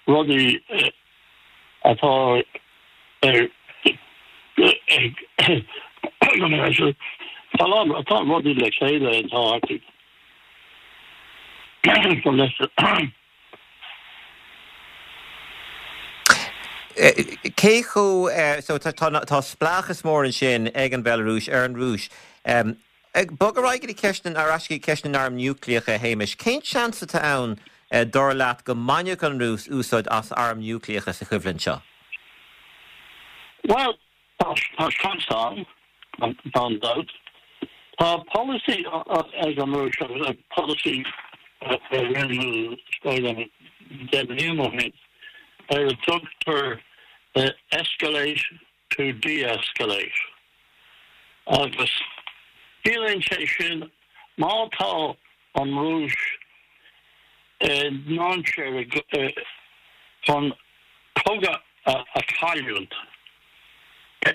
rudaí atá ag tá a lán rudaí le chéile atá acu. Cé chomh, so tá tá spleáchas mór ansin ag an Bhealarúis ar an Rúis. Ag bogadh ar aghaidh go dtí ceist na, ar ais go dtí ceist na n-arm núicléach, a Shéamais, cén seans atá ann, dar leat, go mbainfeadh an Rúis úsáid as airm núicléacha sa choimhlint seo? Bhuel, tá seans ann, gan dabht. Tá polasaí ag an Rúis, agus polasaí a rinneadh, is dóigh liom, 10 mbliana ó shin, ar a dtugtar escalate to de-escalate. Agus ciallaíonn sé sin má tá an Rúis i ndainséar chun cogadh a chailliúint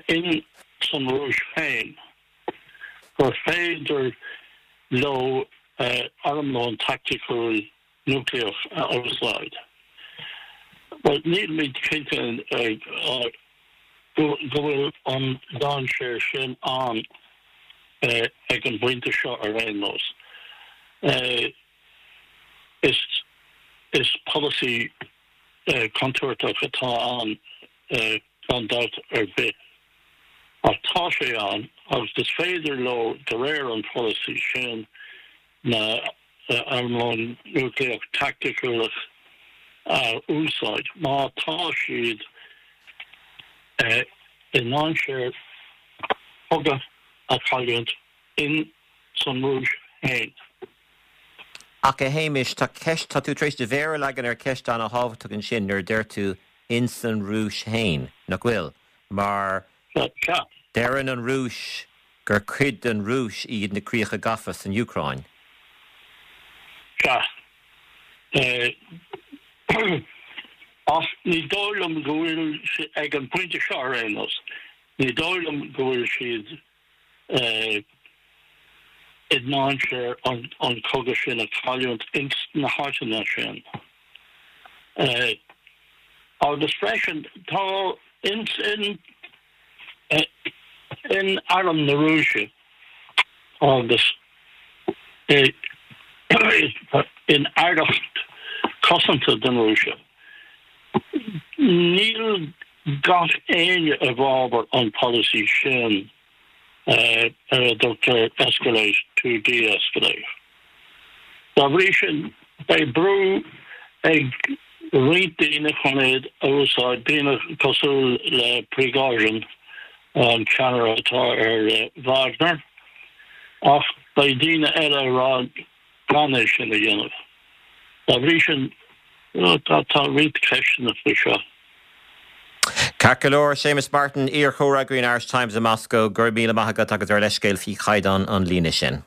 in san Rúis féin, gur féidir leo armlón taicticiúil núicléach a úsáid. Bhuel, nílimid cinnte go bhfuil an dainséar sin ann ag an bpointe seo ar aon nós. Is polasaí contúirteach atá ann gan dabht ar bith. Ach tá sé ann agus is féidir leo, de réir an pholasaí sin, na armlón núicléach taicticiúil a úsáid má tá siad i ndainséar cogadh a chailliúint in san Rúis féin. Ach a Shéamais, tá ceist, tá tú tar éis do mhéar a leagan ar cheist ana-thábhachtach ansin nuair a deir tú in san Rúis féin, nach bhfuil? Mar Sea. deireann an Rúis gur cuid den Rúis iad na críocha gafa san Úcráin. Sea. Ach ní dóigh liom go bhfuil, ag an bpointe seo ar aon nós, ní dóigh liom go bhfuil siad i ndainséar an cogadh sin a chailliúint ins na háiteanna sin. Agus freisin, tá ins in in arm na Rúise agus in aireacht cosanta den Rúise, níl gach éinne i bhfabhar an polasaí sin ar a dtugtar escalate to de-escalate. Dá bhrí sin, beidh brú ag roinnt daoine chun iad a úsáid, daoine cosúil le Prigozhin, an ceannaire atá ar Wagner, ach beidh daoine eile ag rá gan é sin a dhéanamh. Dá bhrí sin, tá roinnt ceisteanna faoi seo. Ceart go leor, Séamus Martin, iar-chomhfhreagraí an Irish Times i Moscó, go raibh míle maith agat agus ár leithscéal faoi chaighdeán an líne sin.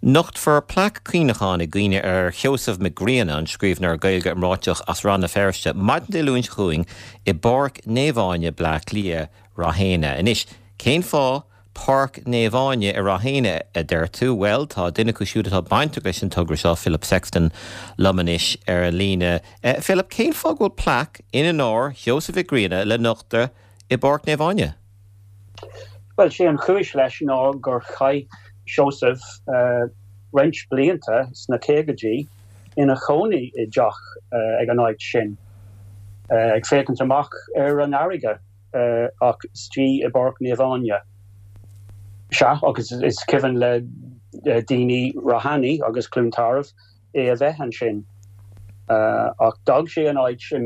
Nochtfar plaic cuimhneacháin i gcuimhne ar Sheosamh Mac Grianna, an scríbhneoir Gaeilge iomráiteach as Rann na Feirste, maidin Dé Luain seo chugainn i bPáirc Naomh Áine, Bleá Cliath, Ráth Éanna. Anois, cén fáth Páirc Naomh Áine i Ráth Éanna, a deir tú? Bhuel, tá duine acu siúd atá bainteach leis an togra seo, Philip Sexton, liom anois ar an líne. Philip, cén fáth go bhfuil plaic in onóir Sheosaimh Mhic Grianna le nochtadh i bPáirc Naomh Áine? Bhuel, sé an chúis leis ná gur chaith Seosamh roinnt blianta sna caogaidí ina chónaí i dteach ag an áit sin, ag féachaint amach ar an fharraige ach istigh i bPáirc Naomh Áine. Sea, agus is cuimhin le daoine Ráth Eanaigh agus Cluain Tarbh é a bheith ansin. Ach d'fhág sé an áit i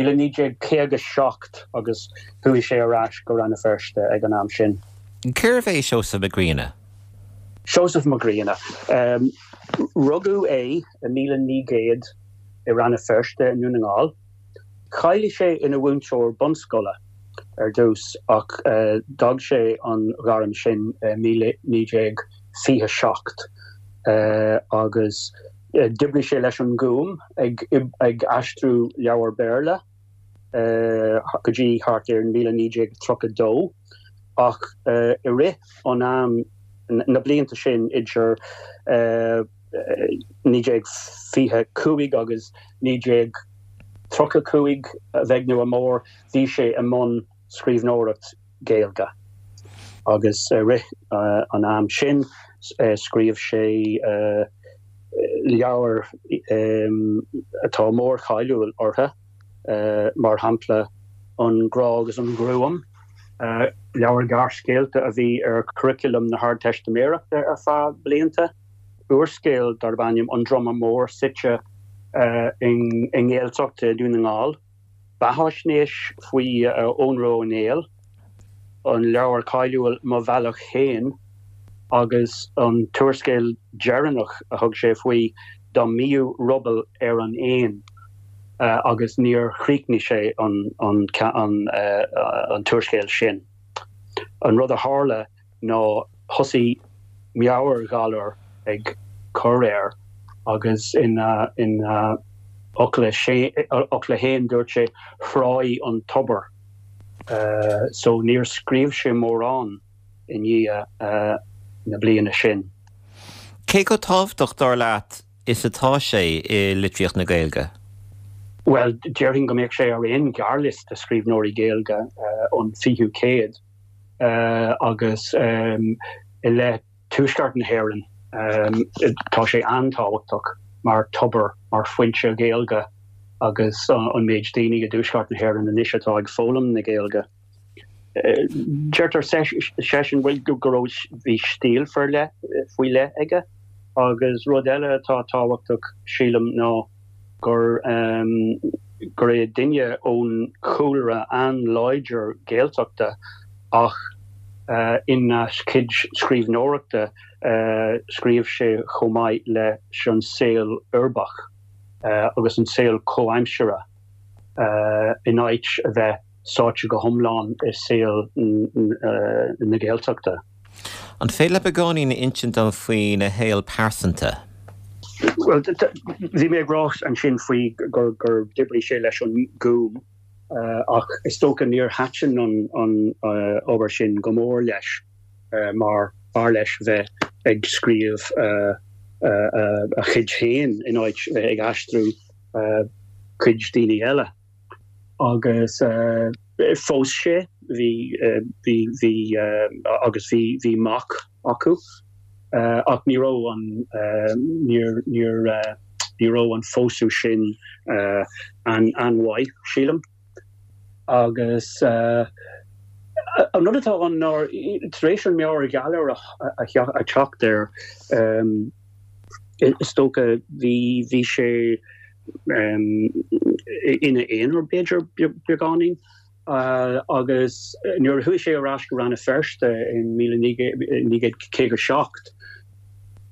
1957 agus chuaigh sé ar ais go Rann na Feirste ag an am sin. Cérbh é Seosamh Mac Grianna? Seosamh Mac Grianna. Rugadh é i 1900 i Rann na Feirste i nDún na nGall. Cháiligh sé ina mhúinteoir bunscoile ar dtús ach d'fhág sé an ghairm sin i 1927 agus d'oibrigh sé leis an nGúm ag aistriú leabhar Béarla go dtí thart ar 1932 ach i rith an am, na blianta sin idir 1925 agus 1935, a bheag nó a mhór, bhí sé i mbun scríbhneoireacht Gaeilge agus i rith an am sin scríobh sé. Leabhair atá mórcháiliúil orthu, mar shampla An Grá agus an Ghruaim, leabhar gearrscéalta a bhí ar churaclam na hArdteistiméireachta ar feadh blianta, úrscéal darb ainm An Druma Mór suite i nGaeltacht Dhún na nGall. Beathaisnéis faoi Eoghan Rua Ó Néill, an leabhar cáiliúil Mo Bhealach Féin agus an t-úrscéal deireanach a thug sé faoi Dá mB'fhiú Ruball ar an Éan agus níor chríochnaigh sé an t-úrscéal sin. An rud a tharla ná thosaigh meabhairghalar ag cur air agus ina fhocla fhéin dúirt sé thráigh an tobar. So níor scríobh sé mórán i ndiaidh na bliana sin. Cé chomh tábhachtach, dar leat, is atá sé i litríocht na Gaeilge? Bhuel, déarfainn go mbeadh sé ar aon ghearrliosta scríbhneoirí Gaeilge an fichiú céad. agus i leith tuaisceart na hÉireann tá sé an-tábhachtach mar tobar, mar foinse Ghaeilge agus an méid daoine i dtuaisceart na hÉireann anois atá ag foghlaim na Gaeilge. Deirtear seisean bhuel go raibh, bhí stíl faoi leith aige agus rud eile atá tábhachtach sílim ná, gur gur é duine ón chúlra an-láidir Gaeltachta ach ina chuid scríbhneoireachta scríobh sé chomh maith leis an saol uirbeach agus an saol comhaimseartha in áit a bheith sáite go hiomlán i saol na Gaeltachta. An féidir leat beagáinín a insint dom faoina shaol pearsanta? Bhuel, bhí mé ag rá ansin faoi gur d'oibrigh sé leis an nGúm ach is dócha níor thaitin an obair sin go mór leis mar b'fhearr leis bheith ag scríobh a chuid féin in áit bheith ag aistriú cuid daoine eile. Agus phós sé, bhí, bhí, bhí, agus bhí, bhí mac acu ach ní raibh an, níor, níor, ní raibh an phósadh sin an-mhaith, sílim. Agus an rud atá ann ná tar éis an meabhairghalar a theacht air, is dócha bhí, bhí sé, ina aonar, b'fhéidir, beagáinín, agus nuair a chuaigh sé ar ais go Rann na Feirste in 1957,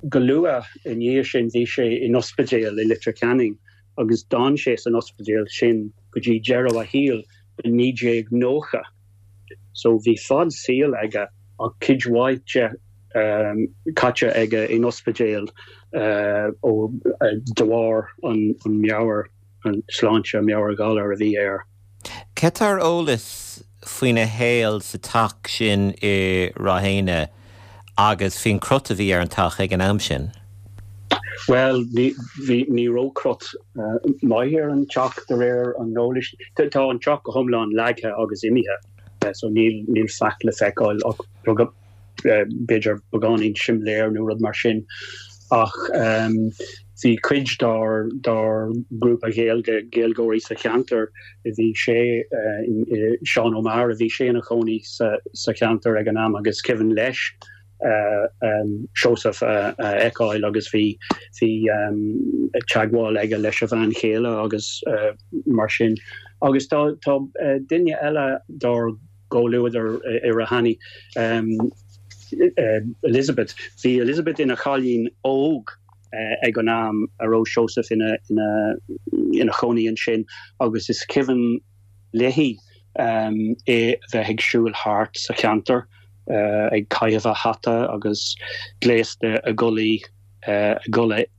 go luath i ndiaidh sin bhí sé in ospidéal i Leitir Ceanainn agus d'fhan sé san ospidéal sin go dtí deireadh a shaoil i 1990. So bhí fad saoil aige ach cuid mhaith de caite aige in ospidéal ó de bharr an meabhair, an sláinte, meabhairghalar a bhí air. Cé tá ar eolas faoina shaol sa teach sin i Ráth Éanna agus faoin crot a bhí ar an teach ag an am sin? Bhuel, ní, bhí, ní raibh crot maith ar an teach de réir an eolais. Tá an teach go hiomlán leagtha agus imithe so níl, níl faic le feiceáil ach b'fhéidir beagáinín simléir nó rud mar sin. Ach bhí cuid dár, dár ngrúpa Ghaeilge, Gaeilgeoirí sa cheantar, bhí sé, Seán Ó Meára, bhí sé ina chónaí sa, sa cheantar ag an am agus cuimhin leis Seosamh a fheiceáil agus bhí, bhí teagmháil aige leis a bhean chéile agus mar sin. Agus tá, tá duine eile dár gcomhluadar i Rathany, Elizabeth. Bhí Elizabeth ina chailín óg ag an am a raibh Seosamh ina, ina, ina chónaí ansin agus is cuimhin léi é a bheith ag siúl thart sa cheantar ag caitheamh a hata agus gléasta i gculaith i gculaith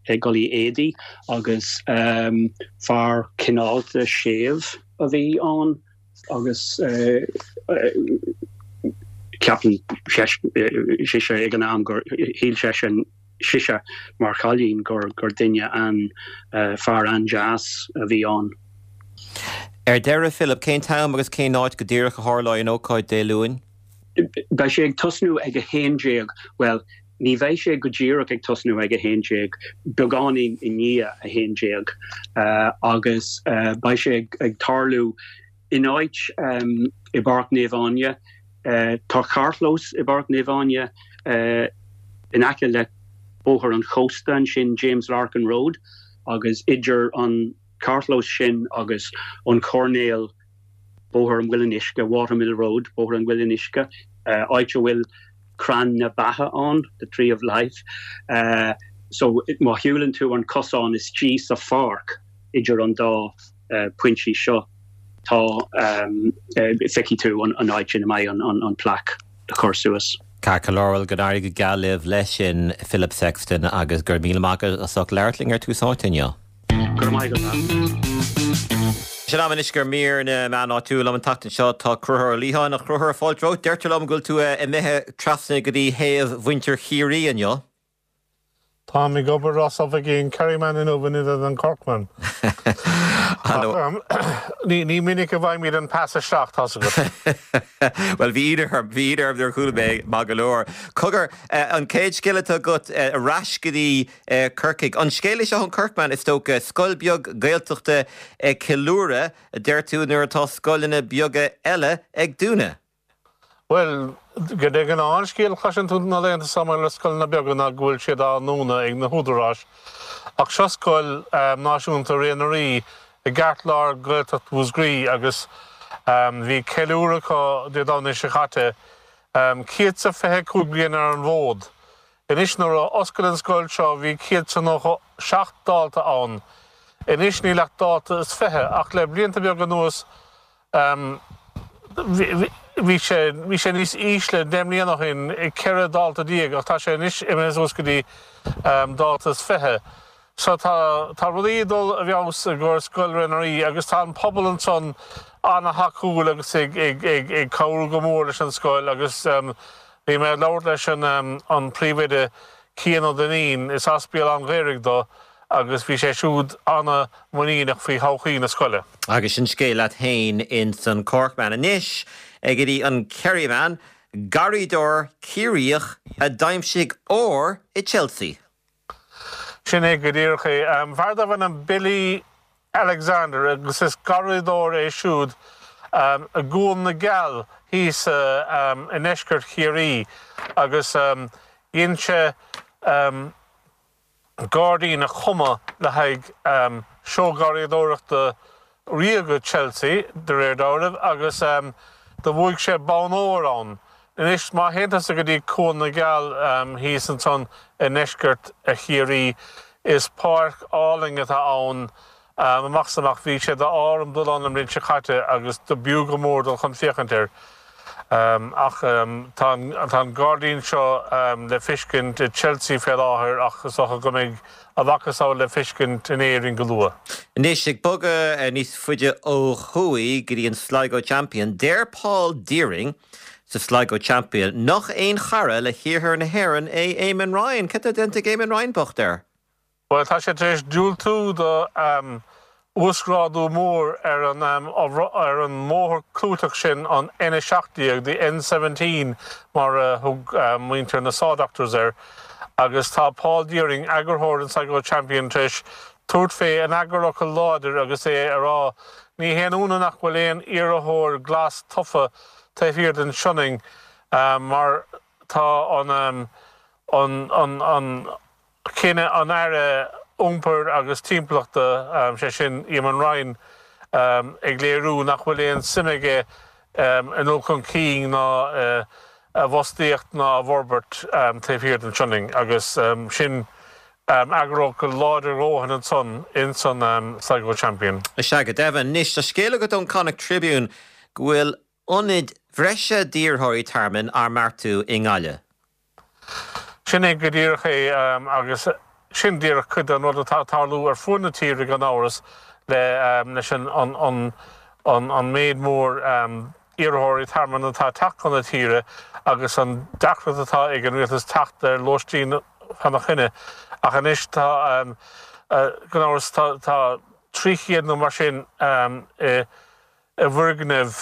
éadaí agus fear cineálta séimh a bhí ann agus ceapann sise ag an am gur shíl seisean sise mar chailín gur gur duine an fear an-deas a bhí ann. Ar deireadh, Philip, cén t-am agus cén áit go díreach a tharlóidh an ócáid Dé Luain? Beidh sé ag tosnú ag 11, bhuel. Ní bheidh sé go díreach ag tosnú ag 11, beagáinín i ndiaidh 11, agus beidh sé ag tarlú in áit i bPáirc Naomh Áine. Tá carrchlós i bPáirc Naomh Áine in aice le Bóthar an Chósta ansin, James Larkin Road, agus idir an carrchlós sin agus an coirnéal, Bóthar an Mhuilinn Uisce, Watermill Road, Bóthar an Mhuilinn Uisce, áit a bhfuil crann na beatha ann, the tree of life. So má shiúlann tú an cosán istigh sa pháirc idir an dá pointí seo, tá, feicfidh tú an áit ina mbeidh an plaic le cur suas. Ceart go leor, bhuel, go n-éirí go geal libh leis sin, Philip Sexton, agus go raibh míle maith agat as ucht labhairt linn ar Tús Áite inniu. Go raibh maith agat. Sé an am anois do mhír na meán áitiúil. Liom an tseachtain seo tá Conchúr Ó Liatháin. A Chonchúir, fáilte romhat. Deirtear liom go bhfuil tú imithe trasna go dtí thaobh mhuintir Chiarraí inniu. Táim ag obair as oifigí an Kerryman inniu in ionad an Corkman. Ní minic a bhfaighimid an pas isteach, tá's agat. Bhuel, bhí ionadh orm, bhí ionadh orm nuair a chuala mé, maith go leor. Cogar, an chéad scéal atá agat, ar ais go dtí Corcaigh. An scéal é seo ón Corkman, is dócha, scoil beag Gaeltachta ag ceiliúradh, a deir tú, nuair atá scoileanna beaga eile ag dúnadh. Bhuel, de ghnáth an scéal a chloiseann tú na laethanta seo maidir le scoileanna beaga ná go bhfuil siad á ndúnadh ag na húdaráis. Ach seo scoil náisiúnta Ré na Rí i gceartlár Ghaeltacht Mhúscraí agus bhí ceiliúradh acu Dé Domhnaigh seo caite. 125 bliain ar an bhfód. Anois nuair a oscail an scoil seo bhí 197 dalta ann. Anois níl ach dalta is 20 ach le blianta beaga anuas bhí sé bhí sé níos ísle 10 mbliana ó shin, 14 dalta ach tá sé anois imithe suas go dtí dalta is 20. So tá tá rudaí ag dul i bhfeabhas i gcomhair Scoil Ré na Rí agus tá an pobal ansan ana-thacúil agus ag ag ag ag cabhrú go mór leis an scoil agus bhí mé ag labhairt leis an an príomhoide Cian Ó Duinnín, is as Béal Átha an Ghaorthaidh dó agus bhí sé siúd ana-mhuiníneach faoi thodhchaí na scoile. Agus sin scéal leat féin ins an Corkman. Anois go dtí an Kerryman, garraíodóir Ciarraíoch a d'aimsigh ór i Chelsea. Sin é go díreach é. Fear darbh ainm Billy Alexander agus is garraíodóir é siúd i gCuan na gCeall thíos i ndeisceart Chiarraí agus dhein sé gairdín a chumadh le haghaidh seó garraíodóireachta ríoga Chelsea, de réir dealraimh, agus do bhuaigh sé bonn óir ann. Anois, má théann tusa go dtí Cuan na gCeall thíos ansan i ndeisceart Chiarraí, is páirc álainn atá ann amach is amach. Bhí sé d'ádh orm dul ann an bhliain seo caite agus do b'fhiú go mór dul chun féachaint air. Ach tá an gairdín seo le feiscint i Chelsea fé láthair ach is dócha go mbeidh a mhacasamhail le feiscint in Éirinn go luath. Anois, ag bogadh níos faide ó thuaidh go dtí an Sligo Champion, deir Paul Deering sa Sligo Champion nach aon chara le hiarthar na hÉireann é Eamon Ryan. Cad tá déanta ag Eamon Ryan bocht air? Bhuel, tá sé tar éis diúltú do uasghrádú mór ar an ar an mbóthar clúiteach sin, an N17, the N17 mar a thug muintir na Saw Doctors air, agus tá Paul Deering, eagarthóir an Sligo Champion, tar éis tabhairt fé in eagarfhocal láidir agus é ag rá, Ní haon ionadh nach bhfuil aon iarrthóir glas tofa taobh thiar den Sionainn mar tá an an an Cinneadh an Aire Iompair agus Timpeallachta, sé sin Eamon Ryan, ag léiriú nach bhfuil aon suim aige i ndul chun cinn ná i bhfostaíocht ná i bhforbairt taobh thiar den Sionainn agus sin eagarfhocal láidir a dhóthain ansan ins an Sligo Champion. Is ea go deimhin. Anois, tá scéal agat ón Connacht Tribune go bhfuil ionaid bhreise d'iarrthóirí tearmainn á mbeartú i nGaillimh. Sin é go díreach é agus sin díreach cuid den rud atá ag tarlú ar fuaid na tíre gan amhras le leis an an méid mór iarrthóirí tearmainn atá ag teacht chun na tíre agus an deacracht atá ag an rialtas teacht ar lóistín fána choinne. Ach anois tá gan amhras tá 300 nó mar sin i. i bhfoirgneamh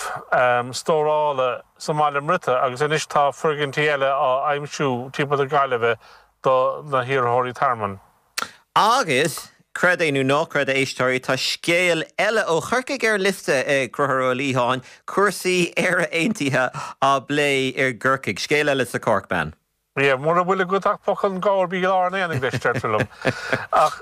stórála sa mBaile Muiriosa agus anois tá foirgintí eile á aimsiú timpeall na Gaillimhe do na hiarrthóirí tearmainn. Agus, creid é nó ná creid, a éisteoirí, tá scéal eile ó Chorcaigh ar liosta ag Conchúr Ó Liatháin, cúrsaí Éire Aontaithe á bplé i gCorcaigh. Scéal eile sa Corkman. Yeah, mura bhfuil agat ach focal an ghabhair bí i lár an aonaigh leis, deirtear liom. Ach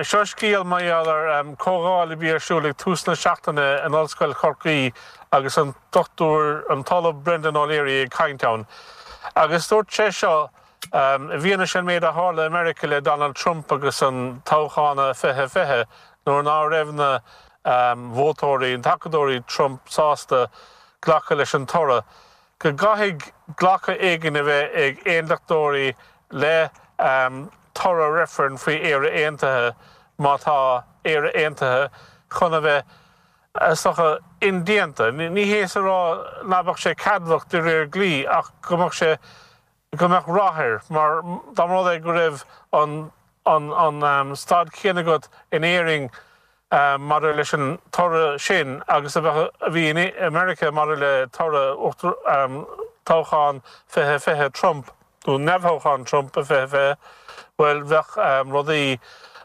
seo scéal mar gheall ar comhdháil a bhí ar siúl ag tús na seachtaine in Ollscoil Chorcaí agus an Dochtúir, an tOllamh Brendan O'Leary ag caint ann. Agus dúirt sé seo, i bhfianaise an méid a tharla i Meiriceá le Donald Trump agus an toghchán i 2020 nuair ná raibh na vótóirí, na tacadóirí Trump sásta glacadh leis an toradh. go gcaithfidh glacadh éigin a bheith ag aondachtóirí le toradh reifrinn faoi Éire Aontaithe má tá Éire Aontaithe chun a bheith, is dócha, indéanta. Ní hé is a rá ná beadh sé ceadmhach de réir dlí ach go mbeadh sé, go mbeadh rath air mar dá mba rud é go raibh an an staid chéanna agat in Éirinn maidir leis an toradh sin agus a bheadh a bhí i Meiriceá maidir le toradh toghchán 2020 Trump nó neamhthoghchán Trump i 2020, bhuel bheadh rudaí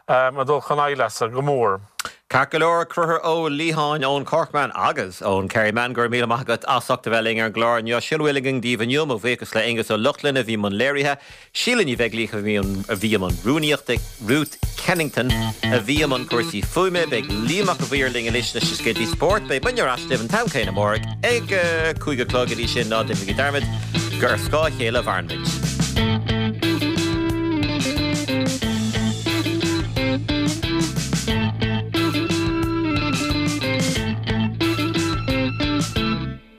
ag dul chun aimhleasa go mór. Ceart go leor, Conchúr Ó Liatháin ón Corkman agus ón Kerryman, go raibh míle maith agat as ucht a bheith linn ar an gclár inniu. Sin a bhfuil againn daoibh inniu, mo bhuíochas le Aonghus Ó Lochlainn a bhí i mbun léirithe, Síle Ní Bheaglaoich a bhí i mbun rúnaíochta, Ruth Kennington a bhí i mbun cúrsaí fuaime. Beidh Liam Mac a' Mhaoir linn anois leis na scéaltaí spóirt. Beidh muidne ar ais libh an t-am céanna amárach ag a 5 a chlog. Go dtí sin, ná déanaigí dearmad gur ar scáth a chéile a mhaireann muid.